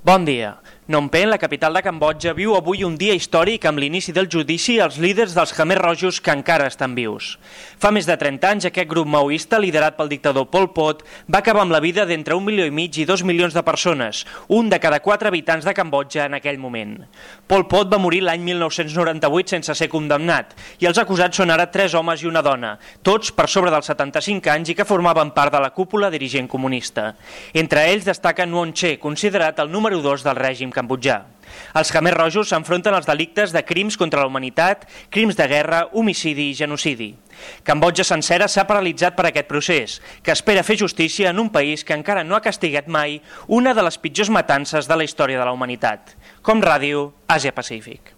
Bon dia. Phnom Penh, la capital de Cambodja, viu avui un dia històric amb l'inici del judici als líders dels Khmer Rojos que encara estan vius. Fa més de 30 anys, aquest grup maoista, liderat pel dictador Pol Pot, va acabar amb la vida d'entre 1,5 milió i 2 milions de persones, un de cada 4 habitants de Cambodja en aquell moment. Pol Pot va morir l'any 1998 sense ser condemnat, i els acusats són ara 3 homes i una dona, tots per sobre dels 75 anys i que formaven part de la cúpula dirigent comunista. Entre ells destaca Nuon Chea, considerat el número 2 del règim cambodjà. Els Khmer Rojos s'enfronten als delictes de crims contra la humanitat, crims de guerra, homicidi i genocidi. Cambodja sencera s'ha paralitzat per aquest procés, que espera fer justícia en un país que encara no ha castigat mai una de les pitjors matances de la història de la humanitat. Com Ràdio, Àsia Pacífic.